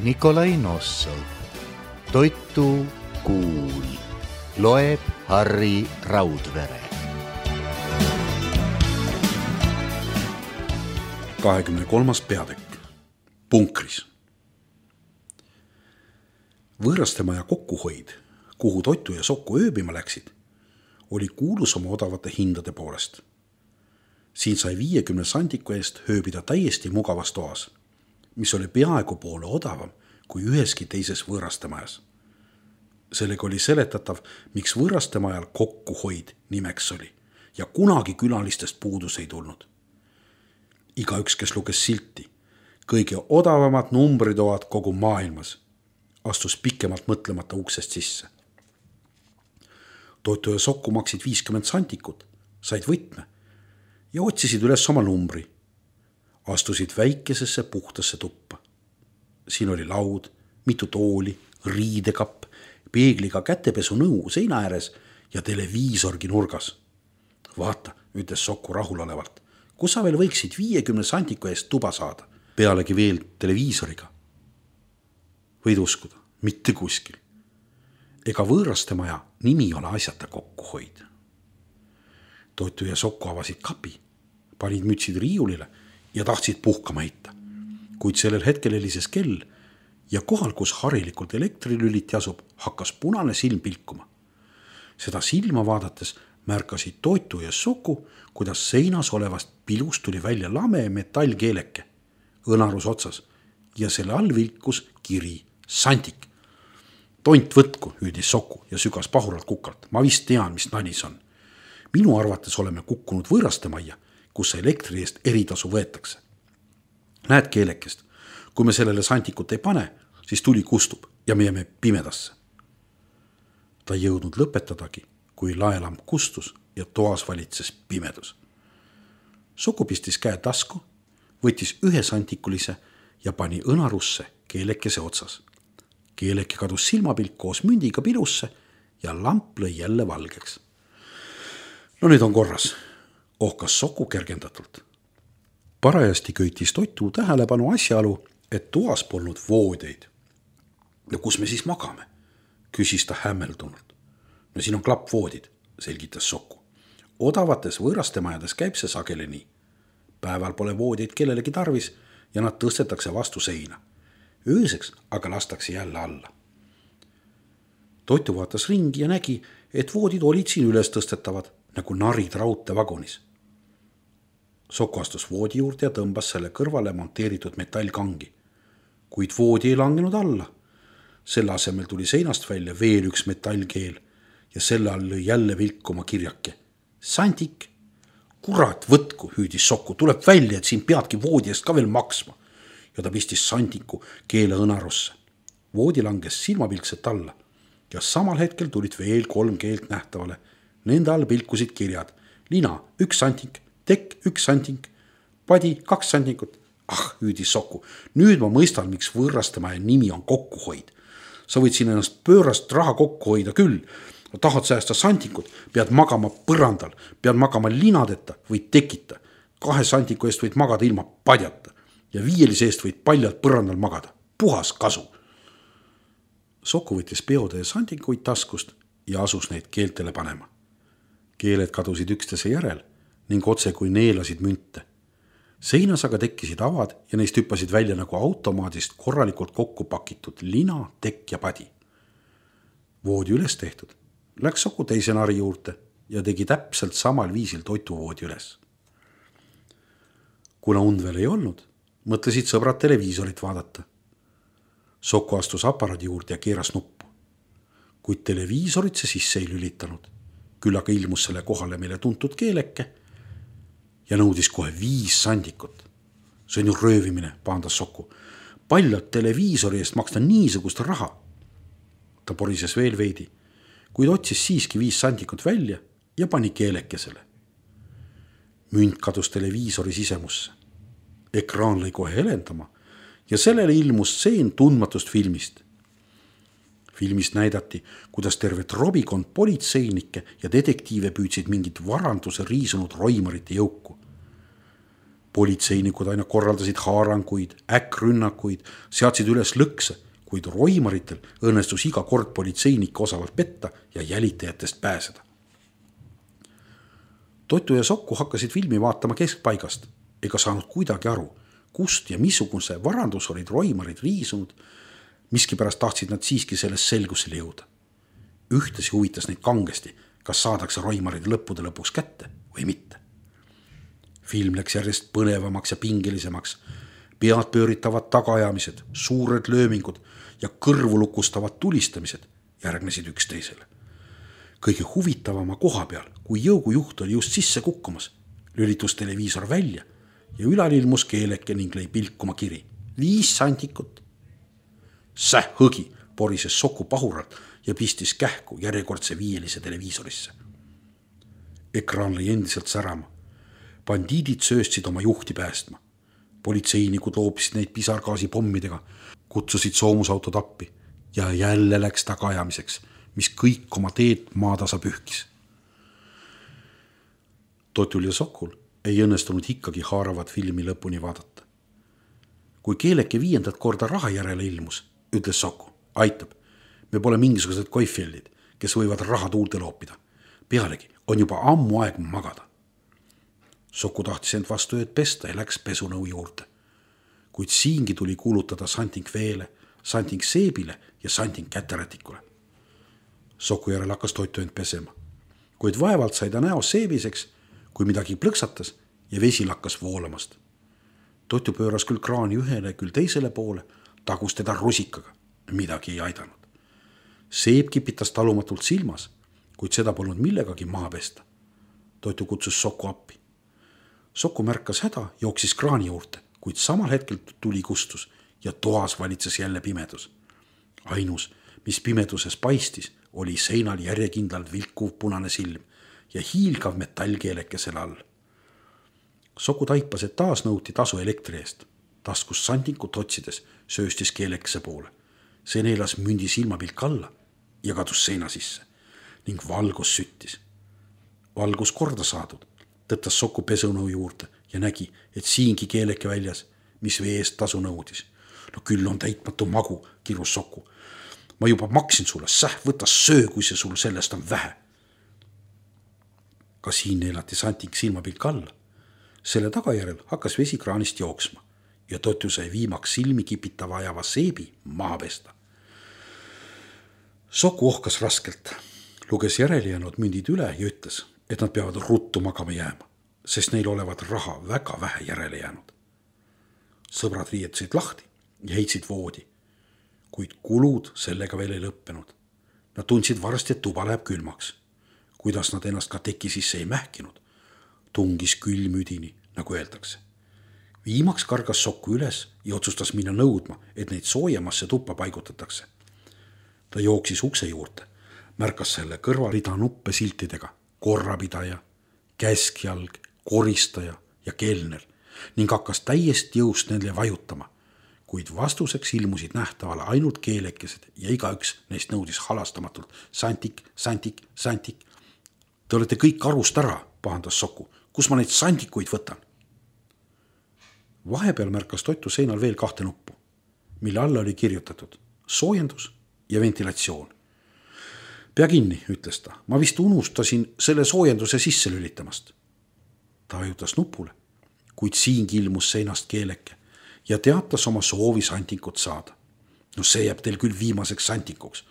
Nikolai Nossov. Toitu kuul. Loeb Harri Raudvere. 23. peatükk. Punkris. Võõrastemaja kokkuhoid, kuhu Toitu ja Sokku ööbima läksid, oli kuulus oma odavate hindade poolest. Siin sai 50 sandiku eest ööbida täiesti mugavas toas, mis oli peaaegu poole odavam kui üheski teises võõrastemajas. Sellega oli seletatav, miks võõrastemajal kokkuhoid nimeks oli ja kunagi külalistest puudus ei tulnud. Igaüks, kes luges silti, kõige odavamad numbritoad kogu maailmas, astus pikemalt mõtlemata uksest sisse. Toitu ja Sokku maksid 50 santikut, said võtme ja otsisid üles oma numbri. Astusid väikesesse puhtasse tuppa. Siin oli laud, mitu tooli, riidekapp, peegliga kätepesunõu seina ääres ja televiisorgi nurgas. Vaata, ütles Sokku rahulolevalt, kus sa veel võiksid 50 santiku eest tuba saada, pealegi veel televiisoriga. Võid uskuda, mitte kuskil. Ega võõrastemaja nimi ole asjata kokkuhoid. Toitu ja Sokku avasid kapi, panid mütsid riiulile ja tahtsid puhkama heita. Kuid sellel hetkel helises kell ja kohal, kus harilikult elektrilüliti asub, hakkas punane silm pilkuma. Seda silma vaadates märkasid Toitu ja Sokku, kuidas seinas olevast pilust tuli välja lame metallkeeleke, õnarus otsas ja selle all vilkus kiri sandik. Tont võtku, hüüdis Sokku ja sügas pahuralt kukalt. Ma vist tean, mis nanis on. Minu arvates oleme kukkunud võõrastemajja, kus elektri eest eritasu võetakse. Näed keelekest, kui me sellele sandikut ei pane, siis tuli kustub ja me jääme pimedasse. Ta ei jõudnud lõpetadagi, kui laelamp kustus ja toas valitses pimedus. Sokku pistis käe tasku, võttis 1 sandikulise ja pani õnarusse keelekese otsas. Keeleke kadus silmapilk koos mündiga pilusse ja lamp lõi jälle valgeks. No nüüd on korras, ohkas Sokku kergendatult. Parajasti köitis Toitu tähelepanu asjaolu, et toas polnud voodeid. No kus me siis magame? Küsis ta hämmeldunult. No siin on klappvoodid, selgitas Sokku. Odavates võõrastemajades käib see sageli nii. Päeval pole voodeid kellelegi tarvis ja nad tõstetakse vastu seina. Ööseks aga lastakse jälle alla. Toitu vaatas ringi ja nägi, et voodid olid siin üles tõstetavad, nagu narid raudteevagunis. Sokku astus voodi juurde ja tõmbas selle kõrvale monteeritud metallkangi. Kuid voodi ei langenud alla. Selle asemel tuli seinast välja veel üks metallkeel ja selle all lõi jälle vilkuma kirjake. Sandik! Kurat, võtku, hüüdis Sokku, tuleb välja, et siin peadki voodi eest ka veel maksma. Ja ta pistis sandiku keele õnarusse. Voodi langes silmapilkset alla ja samal hetkel tulid veel 3 keelt nähtavale. Nende all pilkusid kirjad. Lina, 1 sandik, tekk 1 sandik, padi 2 sandikut. Hüüdis Sokku, nüüd ma mõistan, miks võõrastemaja nimi on kokkuhoid. Sa võid siin ennast pöörast raha kokku hoida küll. Tahad säästa sandikut, pead magama põrandal, pead magama linadeta või tekita. 2 sandiku eest võid magada ilma padjata ja 5 eest võid paljalt põrandal magada. Puhas kasu. Sokku võttis peotäie sandikuid taskust ja asus neid keeltele panema. Keeled kadusid üksteise järel ning otse kui neelasid münte. Seinas aga tekkisid avad ja neist hüppasid välja nagu automaadist korralikult kokku pakitud lina, tekk ja padi. Voodi üles tehtud. Läks Sokku teise nari juurde ja tegi täpselt samal viisil toituvoodi üles. Kuna und veel ei olnud, mõtlesid sõbrad televiisorit vaadata. Sokku astus aparaadi juurde ja keeras nuppu. Kuid televiisorit see sisse ei lülitanud. Küll aga ilmus selle kohale meile tuntud keeleke ja nõudis kohe 5 sandikut. See on ju röövimine, paandas Sokku. Paljalt televiisori eest maksta niisugust raha. Ta porises veel veidi, kuid otsis siiski 5 sandikut välja ja pani keelekesele. Münt kadus televiisori sisemusse. Ekraan lõi kohe helendama ja sellele ilmus stseen tundmatust filmist. Filmist näidati, kuidas tervet robikond politseinikke ja detektiive püüdsid mingit varanduse riisunud roimarite jõuku. politseinikud aina korraldasid haaranguid, äkkrünnakuid, seadsid üles lõkse, kuid roimaritel õnnestus iga kord politseinikke osavalt petta ja jälitajatest pääseda. Totu ja Sokku hakkasid filmi vaatama keskpaigast ega saanud kuidagi aru, kust ja missuguse varandus olid roimarid riisunud. Miskipärast tahtsid nad siiski sellest selgusele jõuda. Ühtesi huvitas neid kangesti, kas saadakse roimarid lõppude lõpuks kätte või mitte. Film läks järjest põnevamaks ja pingelisemaks. Pead pööritavad tagaajamised, suured löömingud ja kõrvu lukustavad tulistamised järgnesid üksteisele. Kõige huvitavama koha peal, kui jõugujuht oli just sisse kukkumas, lülitus televiisor välja ja ülal ilmus keeleke ning lõi pilkuma kiri. 5 santikut. Säh hõgi porises Sokku pahuralt ja pistis kähku järjekordse 5 televiisorisse. Ekraan lõi endiselt särama. Bandiidid sööstsid oma juhti päästma. Politseinikud loopisid neid pisargaasi pommidega, kutsusid soomusauto appi ja jälle läks tagaajamiseks, mis kõik oma teed maatasa pühkis. Totul ja Sokul ei õnnestunud ikkagi haaravat filmi lõpuni vaadata. Kui keeleke 5. korda raha järele ilmus, ütles Sokku, aitab, me pole mingisugused koifjellid, kes võivad raha tuulde loopida. Pealegi on juba ammu aeg magada. Sokku tahtis end vastu ööd pesta ja läks pesunõu juurde. Kuid siingi tuli kuulutada santing veele, santing seebile ja santing käterätikule. Sokku järel hakkas Totu end pesema, kuid vaevalt sai ta näos seebiseks, kui midagi plõksatas ja vesi lakkas voolamast. Totu pööras küll kraani ühele, küll teisele poole, tagus teda rusikaga, midagi ei aidanud. Seeb kipitas talumatult silmas, kuid seda polnud millegagi maha pesta. Totu kutsus Sokku appi. Sokku märkas häda, jooksis kraani juurde, kuid samal hetkel tuli kustus ja toas valitses jälle pimedus. Ainus, mis pimeduses paistis, oli seinal järjekindlalt vilkuv punane silm ja hiilgav metallkeeleke selle all. Sokku taipas, et taas nõuti tasu elektri eest. Taskus santikut otsides sööstis keelekese poole. See neelas mündi silmapilk alla ja kadus seina sisse ning valgus süttis. Valgus korda saadud, tõttas Sokku pesunõu juurde ja nägi, et siingi keeleke väljas, mis vee eest tasu nõudis. No küll on täitmatu magu, kirus Sokku. Ma juba maksin sulle, võta söö, kui see sul sellest on vähe. Ka siin neelati santing silmapilk alla. Selle tagajärel hakkas vesi kraanist jooksma ja Totu sai viimaks silmi kipitava ajava seebi maha pesta. Sokku ohkas raskelt, luges järele jäänud mündid üle ja ütles, et nad peavad ruttu magama jääma, sest neil olevat raha väga vähe järele jäänud. Sõbrad riietusid lahti ja heitsid voodi, kuid kulud sellega veel ei lõppenud. Nad tundsid varsti, et tuba läheb külmaks. Kuidas nad ennast ka teki sisse ei mähkinud, tungis külmüdini, nagu öeldakse. Viimaks kargas Sokku üles ja otsustas minna nõudma, et neid soojemasse tuppa paigutatakse. Ta jooksis ukse juurde, märkas selle kõrvalrida nuppe siltidega, korrapidaja, käskjalg, koristaja ja kelner ning hakkas täiesti jõust nendele vajutama, kuid vastuseks ilmusid nähtavale ainult keelekesed ja igaüks neist nõudis halastamatult santik, santik, santik. Te olete kõik arust ära, pahandas Sokku. Kus ma neid sandikuid võtan? Vahepeal märkas Totu seinal veel 2 nuppu, mille alla oli kirjutatud soojendus ja ventilatsioon. Pea kinni, ütles ta. Ma vist unustasin selle soojenduse sisse lülitamast. Ta vajutas nupule, kuid siingi ilmus seinast keeleke ja teatas oma soovi santikut saada. No see jääb teil küll viimaseks santikuks,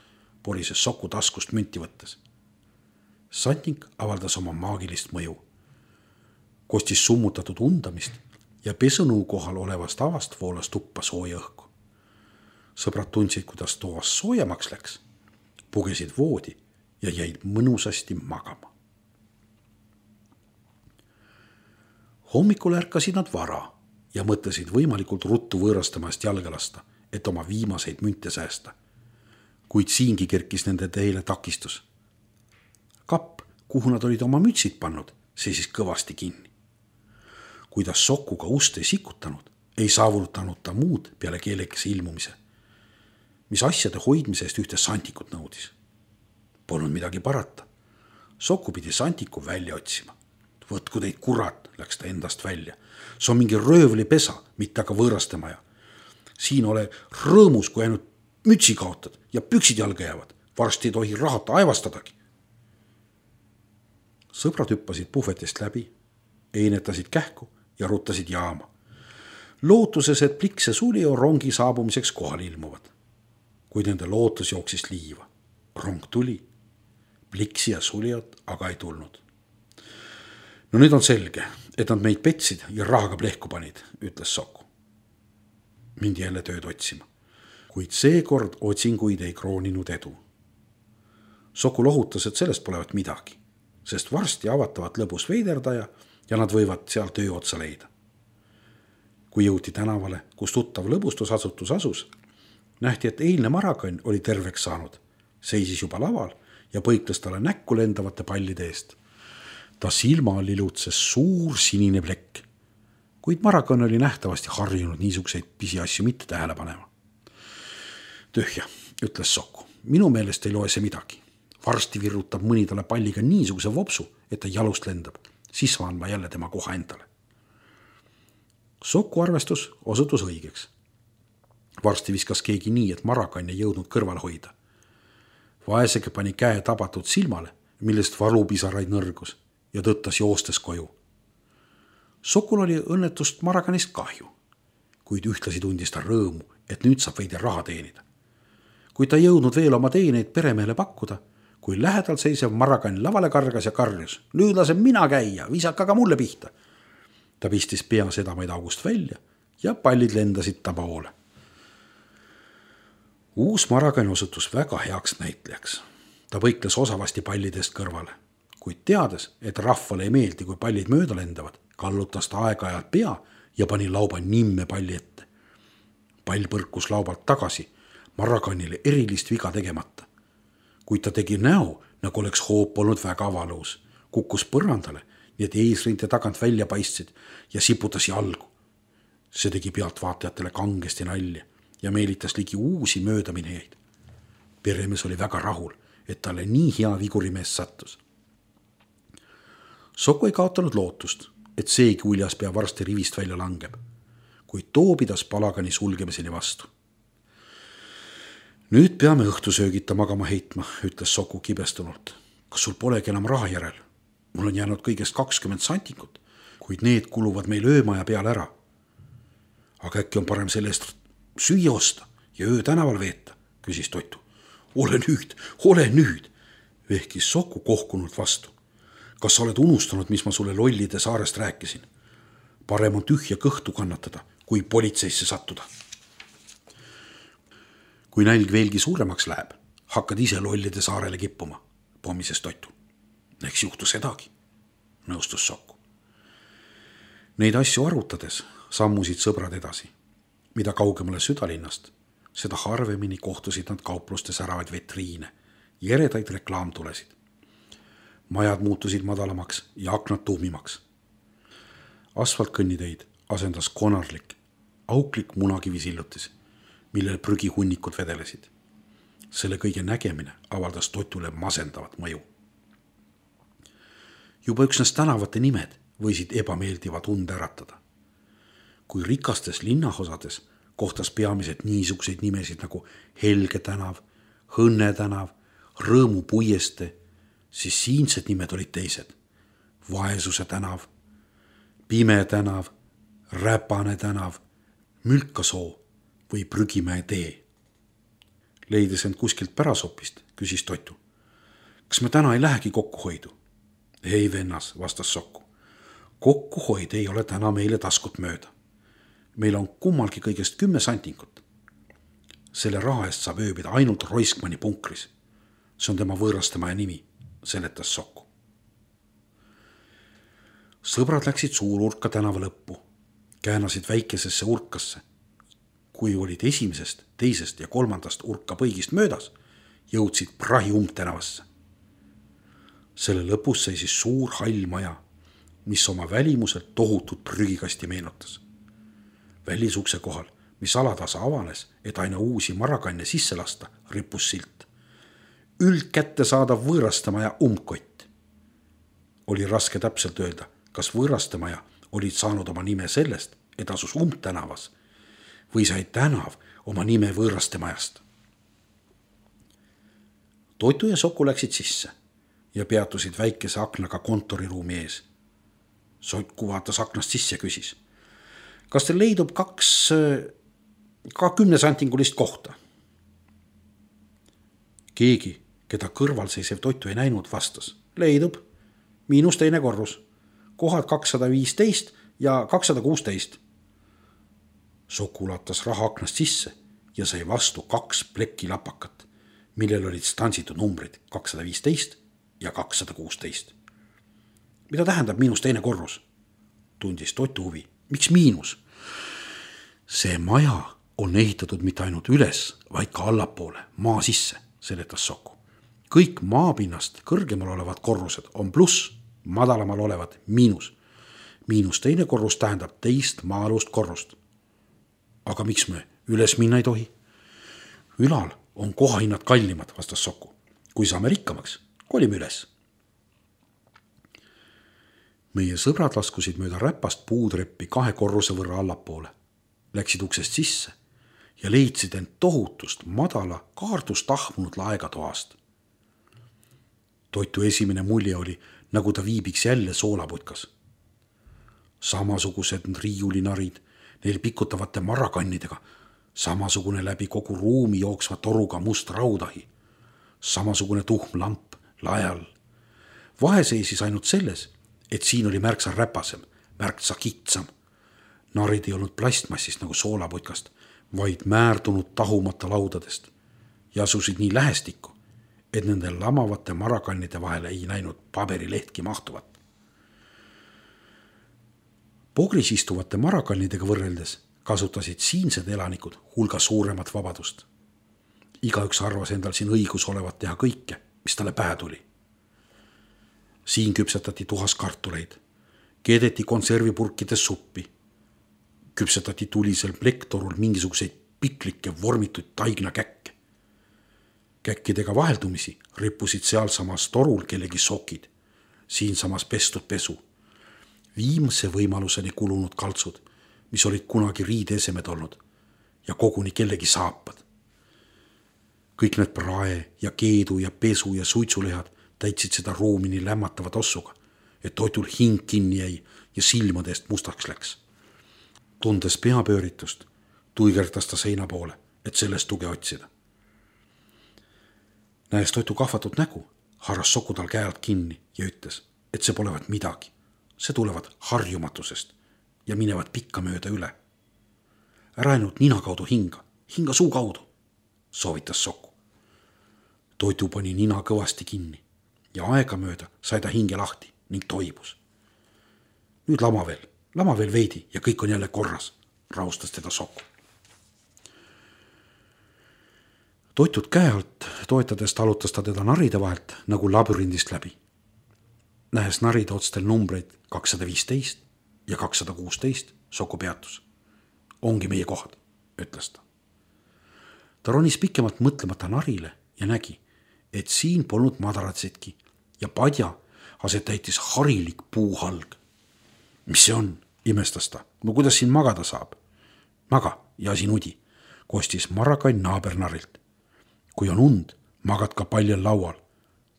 porises Sokku taskust münti võttes. Santik avaldas oma maagilist mõju. Kostis summutatud undamist ja pesunõu kohal olevast avast voolas tuppa sooja õhku. Sõbrad tundsid, kuidas toas soojemaks läks, pugesid voodi ja jäid mõnusasti magama. Hommikul ärkasid nad vara ja mõtlesid võimalikult ruttu võõrastamast jalga lasta, et oma viimaseid münte säästa. Kuid siingi kerkis nende teele takistus. Kapp, kuhu nad olid oma mütsid pannud, seisis kõvasti kinni. Kuidas Sokkuga ust ei sikutanud, ei saavutanud ta muud peale keelekese ilmumise, mis asjade hoidmise eest ühte santikut nõudis. Polnud midagi parata. Sokku pidi santiku välja otsima. Võtku teid kurat, läks ta endast välja. See on mingi röövlipesa, mitte aga võõrastemaja. Siin ole rõõmus, kui ainult mütsi kaotad ja püksid jalga jäävad. Varsti ei tohi rahata aevastadagi. Sõbrad hüppasid puhvetist läbi, einetasid kähku ja ruttasid jaama. Lootuses, et Pliks ja Sulio rongi saabumiseks kohal ilmuvad. Kuid nende lootus jooksis liiva. Rong tuli, Pliksi ja Suliot aga ei tulnud. No nüüd on selge, et nad meid petsid ja rahaga plehku panid, ütles Soku. Mindi jälle tööd otsima, kuid seekord otsinguid ei krooninud edu. Soku lohutas, et sellest polevat midagi, sest varsti avatavat lõbus veiderdaja ja nad võivad seal töö otsa leida. Kui jõuti tänavale, kus tuttav lõbustusasutus asus, nähti, et eilne Marakann oli terveks saanud, seisis juba laval ja põikles talle näkku lendavate pallide eest. Ta silma lilutses suur sinine plekk, kuid Marakann oli nähtavasti harjunud niisuguseid pisiasju mitte tähele panema. Tühja, ütles Soku, minu meelest ei loe see midagi. Varsti virrutab mõni talle palliga niisuguse vopsu, et ta jalust lendab, siis saan ma jälle tema koha endale. Soku arvestus osutus õigeks. Varsti viskas keegi nii, et Marakann ei jõudnud kõrval hoida. Vaesege pani käe tabatud silmale, millest valupisaraid nõrgus ja tõttas joostes koju. Sokul oli õnnetust Marakannist kahju, kuid ühtlasi tundis ta rõõmu, et nüüd saab veidi raha teenida. Kui ta jõudnud veel oma teeneid peremehele pakkuda, kui lähedal seisev Marakann lavale kargas ja karjus, nüüd lasen mina käia, visaka ka mulle pihta. Ta pistis pea sedamaid august välja ja pallid lendasid ta poole. Uus Marakann osutus väga heaks näitlejaks. Ta põikles osavasti pallidest kõrvale, kuid teades, et rahvale ei meeldi, kui pallid mööda lendavad, kallutas ta aeg-ajalt pea ja pani lauba nimme palli ette. Pall põrkus laubalt tagasi, Marakannile erilist viga tegemata. Kuid ta tegi näo, nagu oleks hoop olnud väga valus, kukkus põrandale, nii et eesrinte tagant välja paistsid ja siputas jalgu. See tegi pealtvaatajatele kangesti nalja ja meelitas ligi uusi möödaminejaid. Peremees oli väga rahul, et talle nii hea vigurimees sattus. Soku ei kaotanud lootust, et seegi uljas pea varsti rivist välja langeb, kuid too pidas palagani sulgemiseni vastu. Nüüd peame õhtusöögita magama heitma, ütles Soku kibestunult. Kas sul polegi enam raha järel? Mul on jäänud kõigest 20 santikut, kuid need kuluvad meil öömaja peale ära. Aga äkki on parem selle eest süüa osta ja öö tänaval veeta, küsis Totu. Ole nüüd, vehkis Soku kohkunult vastu. Kas sa oled unustanud, mis ma sulle lollide saarest rääkisin? Parem on tühja kõhtu kannatada, kui politseisse sattuda. Kui nälg veelgi suuremaks läheb, hakkad ise lollide saarele kippuma, pommises Totu. Eks juhtu sedagi, nõustus Soku. Neid asju arutades sammusid sõbrad edasi. Mida kaugemale südalinnast, seda harvemini kohtusid nad kauplustes äravaid vetriine, jeredaid reklaamtulesid. Majad muutusid madalamaks ja aknad tuhmimaks. Asfaltkõnniteid asendas konarlik, auklik munakivisillutis, millel prügihunnikud vedelesid. Selle kõige nägemine avaldas Totule masendavat mõju. Juba üksnes tänavate nimed võisid ebameeldiva tunde äratada. Kui rikastes linnaosades kohtas peamiselt niisuguseid nimesid nagu Helge tänav, Õnne tänav, Rõõmu puieste, siis siinsed nimed olid teised. Vaesuse tänav, Pime tänav, Räpane tänav, Mülkasoo või Prügimäe tee. Leides end kuskilt pärasopist, küsis Totu. Kas me täna ei lähegi kokkuhoidu? Ei vennas, vastas Soku. Kokkuhoid ei ole täna meile taskut mööda. Meil on kummalgi kõigest 10 santikut. Selle raha eest saab ööbida ainult Roiskmanni punkris. See on tema võõrastemaja nimi, seletas Soku. Sõbrad läksid suururka tänava lõppu, käänasid väikesesse urkasse. Kui olid esimesest, teisest ja kolmandast urka põigist möödas, jõudsid Prahi umbtänavasse. Selle lõpus seisis suur hall maja, mis oma välimuselt tohutut prügikasti meenutas. Välisukse kohal, mis alatasa avanes, et aina uusi Marakanne sisse lasta, rippus silt. Üldkätte saadav võõrastamaja umbkott. Oli raske täpselt öelda, kas Võõrastemaja olid saanud oma nime sellest, et asus Umbtänavas või sai tänav oma nime Võõrastemajast. Toitu ja Soku läksid sisse ja peatusid väikese aknaga kontoriruumi ees. Soku vaatas aknast sisse ja küsis: kas teil leidub ka 10-santingulist kohta? Keegi, keda kõrval seisev Toitu ei näinud, vastas: leidub, miinus teine korrus, kohad 215 ja 216. Soku ulatas raha aknast sisse ja sai vastu 2 plekilapakat, millel olid stantsitud numbrid 215 ja 216. Mida tähendab miinus teine korrus? Tundis Toitu huvi. Miks miinus? See maja on ehitatud mitte ainult üles, vaid ka allapoole, maa sisse, seletas Soku. Kõik maapinnast kõrgemal olevad korrused on pluss, madalamal olevad miinus. Miinus teine korrus tähendab teist maa-alust korrust. Aga miks me üles minna ei tohi? Ülal on kohahinnad kallimad, vastas Soku. Kui saame rikkamaks, kolime üles. Meie sõbrad laskusid mööda räpast puutreppi 2 korruse võrra allapoole. Läksid uksest sisse ja leidsid end tohutust madala kaardust tahmunud laegatoast. Toitu esimene mulje oli, nagu ta viibiks jälle soolaputkas. Samasugused riiulinarid, neil pikutavate marakannidega, samasugune läbi kogu ruumi jooksva toruga must raudahi, samasugune tuhm lamp lae all. Vahe seisis ainult selles, et siin oli märksa räpasem, märksa kitsam. Narid ei olnud plastmassist nagu soolaputkast, vaid määrdunud tahumata laudadest ja asusid nii lähestikku, et nende lamavate marakannide vahele ei näinud paberilehtki mahtuvat. Pogris istuvate marakannidega võrreldes kasutasid siinsed elanikud hulga suuremat vabadust. Igaüks arvas endal siin õigus olevat teha kõike, mis talle pähe tuli. Siin küpsetati tuhas kartuleid, keedeti konservipurkides suppi, küpsetati tulisel plektorul mingisuguseid piklikke vormituid taignakäkke. Käkkidega vaheldumisi rippusid sealsamas torul kellegi sokid, siinsamas pestud pesu, viimse võimaluseni kulunud kaltsud, mis olid kunagi riideesemed olnud ja koguni kellegi saapad. Kõik need prae ja keedu ja pesu ja suitsulehad täitsid seda ruumi nii lämmatava tossuga, et Toitul hing kinni jäi ja silmadest mustaks läks. Tundes peapööritust, tuigerdas ta seina poole, et sellest tuge otsida. Näes Toitu kahvatut nägu, haaras Soku tal käe alt kinni ja ütles, et see polevat midagi. See tulevad harjumatusest ja minevad pikka mööda üle. Ära ainult nina kaudu hinga suu kaudu, soovitas Soku. Toitu pani nina kõvasti kinni ja aega mööda sai ta hinge lahti ning toibus. Nüüd lama veel veidi ja kõik on jälle korras, rahustas teda Soku. Toitut käe alt toetades talutas ta teda naride vahelt nagu labürindist läbi. Nähes naride otstel numbreid 215 ja 216, Soku peatus. Ongi meie kohad, ütles ta. Ta ronis pikemalt mõtlemata narile ja nägi, et siin polnud madaratsidki ja padja aset täitis harilik puuhalg. Mis see on, imestas ta. No kuidas siin magada saab? Maga ja siin udi, kostis Marakann naabernarilt. Kui on und, magad ka paljal laual.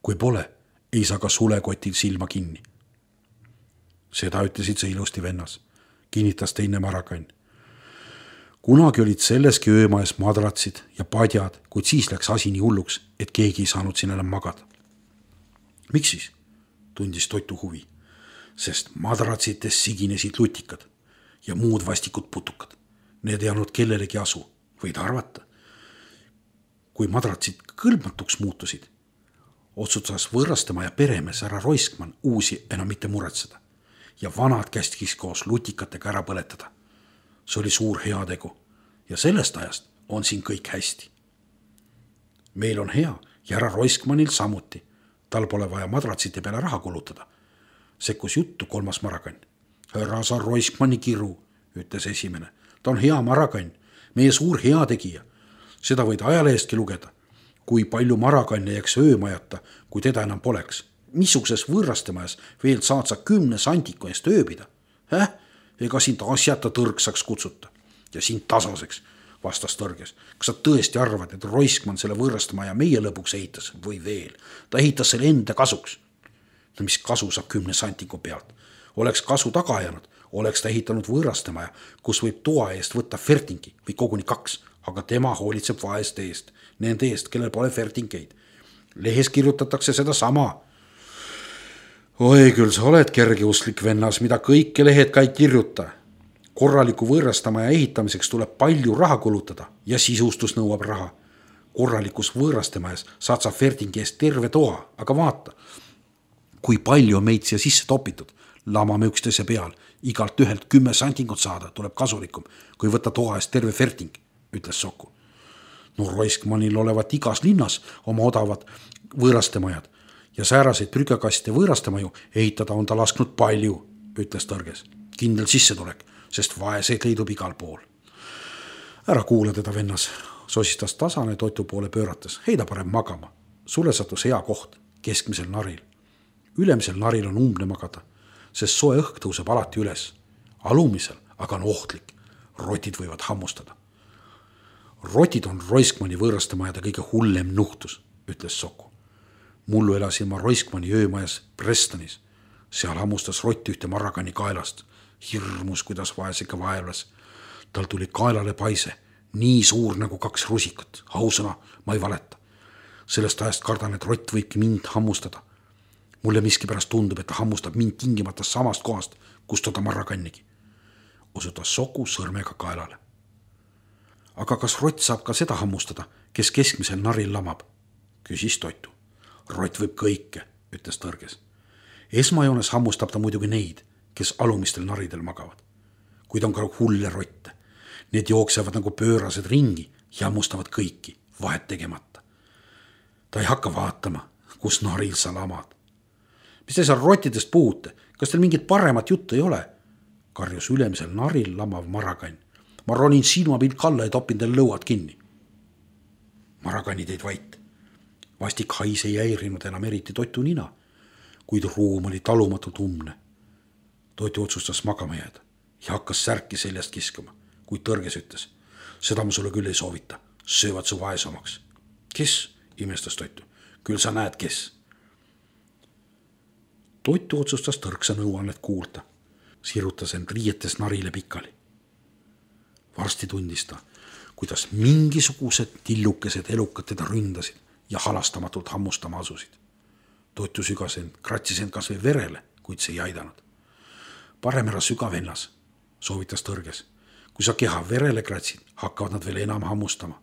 Kui pole, ei saa ka sulekotil silma kinni. Seda ütlesid sa ilusti vennas, kinnitas teine Marakann. Kunagi olid selleski öömaes madratsid ja padjad, kuid siis läks asi nii hulluks, et keegi ei saanud siin enam magada. Miks siis? Tundis Toitu huvi, sest madratsites siginesid lutikad ja muud vastikud putukad. Need ei andnud kellelegi asu, võid arvata. Kui madratsid kõlbmatuks muutusid, otsustas Võõrastemaja peremees härra Roiskmann uusi enam mitte muretseda ja vanad kästkis koos lutikatega ära põletada. See oli suur heategu ja sellest ajast on siin kõik hästi. Meil on hea ja härra Roiskmannil samuti. Tal pole vaja madratsite peale raha kulutada. Sekkus juttu 3. Marakann. Härra sa Roiskmanni kiru, ütles esimene. Ta on hea Marakann, meie suur heategija. Seda võid ajalehestki lugeda. Kui palju Marakanne jääks öömajata, kui teda enam poleks. missuguses võõrastemajas veel saad sa 10 sandiku eest ööbida? Ega sind asjata tõrksaks kutsuta ja sind tasaseks, vastas Tõrges. Kas sa tõesti arvad, et Roiskmann selle võõrastemaja meie lõpuks ehitas või veel? Ta ehitas selle enda kasuks. No mis kasu saab 10 sandiku pealt? Oleks kasu taga jäänud, oleks ta ehitanud võõrastemaja, kus võib toa eest võtta fertingi või koguni 2, aga tema hoolitseb vaeste eest, nende eest, kellel pole fertingeid. Lehes kirjutatakse seda sama. Oi, küll sa oled kergeusklik vennas, mida kõike lehed ka ei kirjuta. Korraliku võõrastamaja ehitamiseks tuleb palju raha kulutada ja sisustus nõuab raha. Korralikus võõrastamajas saad sa fertingi eest terve toa, aga vaata, kui palju on meid siia sisse topitud. Lamame üksteise peal, igalt ühelt 10 santingut saada tuleb kasulikum, kui võtta toa eest terve ferting, ütles Soku. No Roiskmannil olevat igas linnas oma odavad võõrastemajad ja sääraseid prügakaste võõrastemaju ehitada on ta lasknud palju, ütles Tõrges. Kindel sissetulek, sest vaeseid leidub igal pool. Ära kuula teda, vennas, sosistas Tasane Toitu poole pöörates. Heida parem magama. Sulle sattus hea koht, keskmisel naril. Ülemisel naril on umbne magada, sest soe õhk tõuseb alati üles. Alumisel aga on ohtlik. Rotid võivad hammustada. Rotid on Roiskmanni võõrastemajade kõige hullem nuhtus, ütles Soku. Mullu elasin ma Roiskmanni öömajas Prestonis. Seal hammustas rott ühte marragani kaelast. Hirmus, kuidas vaesega vaevlas. Tal tuli kaelale paise, nii suur nagu 2 rusikut. Ausõna, ma ei valeta. Sellest ajast kardan, et rott võibki mind hammustada. Mulle miskipärast tundub, et ta hammustab mind tingimata samast kohast, kust toda marragannigi. Osutas Soku sõrmega kaelale. Aga kas rott saab ka seda hammustada, kes keskmisel naril lamab? Küsis Toitu. Rott võib kõike, ütles Tõrges. Esmajoones hammustab ta muidugi neid, kes alumistel naridel magavad. Kuid on ka hulle rotte. Need jooksevad nagu pöörased ringi ja hammustavad kõiki, vahet tegemata. Ta ei hakka vaatama, kus naril sa lamad. Mis te seal rottidest puhute? Kas teil mingit paremat juttu ei ole? Karjus ülemisel naril lamav marragann. Ma ronin silmapilt kalla ja topin teil lõuad kinni. Marraganni teid vait. Vastik hais ei häirinud enam eriti Toitu nina, kuid ruum oli talumatult umne. Toitu otsustas magama jääda ja hakkas särki seljast kiskama, kuid Tõrges ütles. Seda ma sulle küll ei soovita, söövad su vaesomaks. Kes? Imestas Toitu. Küll sa näed, kes. Toitu otsustas tõrksa nõuannet kuulda. Sirutas end riietes narile pikali. Varsti tundis ta, kuidas mingisugused tillukesed elukad teda ründasid ja halastamatult hammustama asusid. Toitu sügas end, kratsis end kas või verele, kuid see ei aidanud. Parem ära süga, vennas, soovitas Tõrges. Kui sa keha verele kratsid, hakkavad nad veel enam hammustama.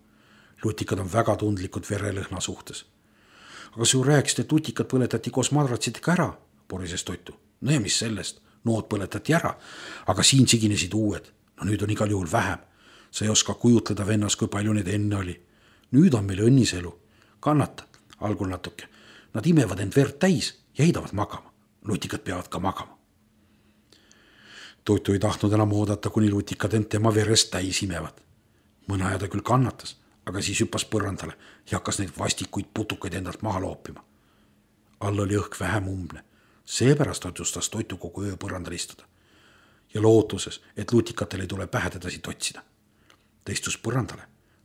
Lutikad on väga tundlikud verelõhna suhtes. Aga sa ju rääkisid, et lutikad põletati koos madratsidega ära, porises Toitu. No ja mis sellest? Nood põletati ära, aga siin siginesid uued. No nüüd on igal juhul vähem. Sa ei oska kujutleda, vennas, kui palju neid enne oli. Nüüd on meil õnniselu. Kannata, algul natuke. Nad imevad end verd täis ja heidavad magama. Lutikad peavad ka magama. Toitu ei tahtnud enam oodata, kuni lutikad end tema verest täis imevad. Mõne aja ta küll kannatas, aga siis hüppas põrandale ja hakkas neid vastikuid putukaid endalt maha loopima. All oli õhk vähem umbne. Seepärast otsustas Toitu kogu öö põrandal istuda. Ja lootuses, et lutikatel ei tule pähe teda siit otsida. Ta istus põrandale,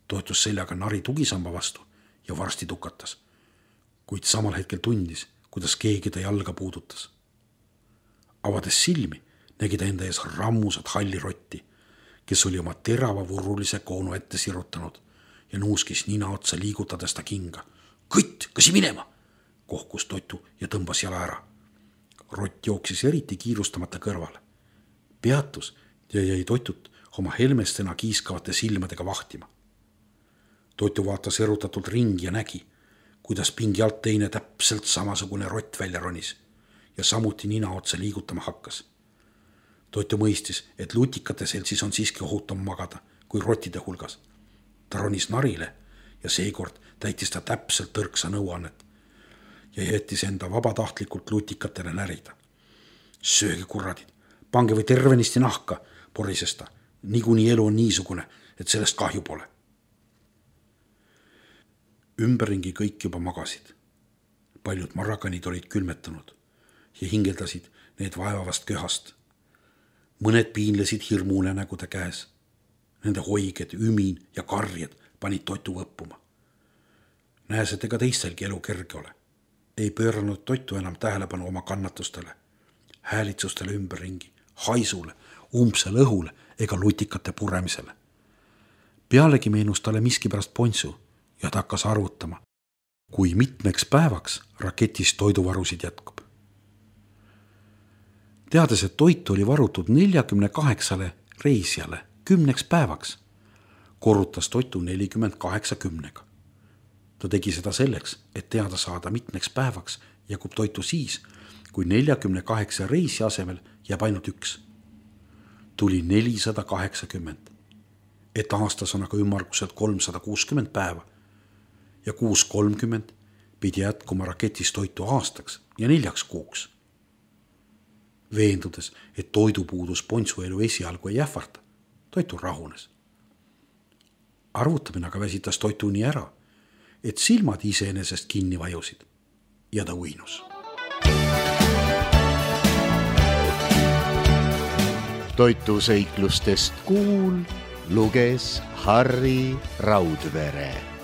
toetus seljaga nari tugisamba vastu ja varsti tukatas. Kuid samal hetkel tundis, kuidas keegi ta jalga puudutas. Avades silmi, nägi ta enda ees rammusat halli rotti, kes oli oma terava vurrulise koonu ette sirutanud ja nuuskis nina otsa liigutades ta kinga. Kõtt, kas ei minema? Kohkus Toitu ja tõmbas jala ära. Rott jooksis eriti kiirustamata kõrvale. Peatus ja jäi Toitut oma helmestena kiiskavate silmadega vahtima. Toitu vaatas erutatult ringi ja nägi, kuidas pingi alt teine täpselt samasugune rott välja ronis ja samuti nina otsa liigutama hakkas. Toitu mõistis, et lutikate seltsis on siiski ohutum magada kui rottide hulgas. Ta ronis narile ja seekord täitis ta täpselt tõrksa nõuannet ja jättis enda vabatahtlikult lutikatele närida. Sööge kurradid, pange või tervenisti nahka, porises ta. Niikuinii elu on niisugune, et sellest kahju pole. Ümberringi kõik juba magasid. paljud marrakanid olid külmetunud ja hingeldasid need vaevavast köhast. Mõned piinlesid hirmunenägude käes. Nende hoiged, ümin ja karjed panid toitu võppuma. Näes, et ega teistelgi elu kerge ole. Ei pööranud toitu enam tähelepanu oma kannatustele, häälitsustele ümberringi, haisule, umbsele õhule ega lutikate puremisele. Pealegi meenus talle miskipärast Pontsu ja ta hakkas arvutama, kui mitmeks päevaks raketis toiduvarusid jätkub. Teades, et toitu oli varutud 48 reisijale 10 päevaks, korrutas toitu 48. Ta tegi seda selleks, et teada saada mitmeks päevaks jagub toitu siis, kui 48 reisi asemel jääb ainult 1. Tuli 480, et aastas on aga ümmarguselt 360 päeva ja 630 pidi jätkuma raketis toitu aastaks ja 4 kuuks. Veendudes, et toidupuudus Pontsu elu esialgu ei ähvarta, toitu rahunes. Arvutamine aga väsitas toitu nii ära, et silmad iseenesest kinni vajusid ja ta uinus. Toituseiklustest kuul luges Harri Raudvere.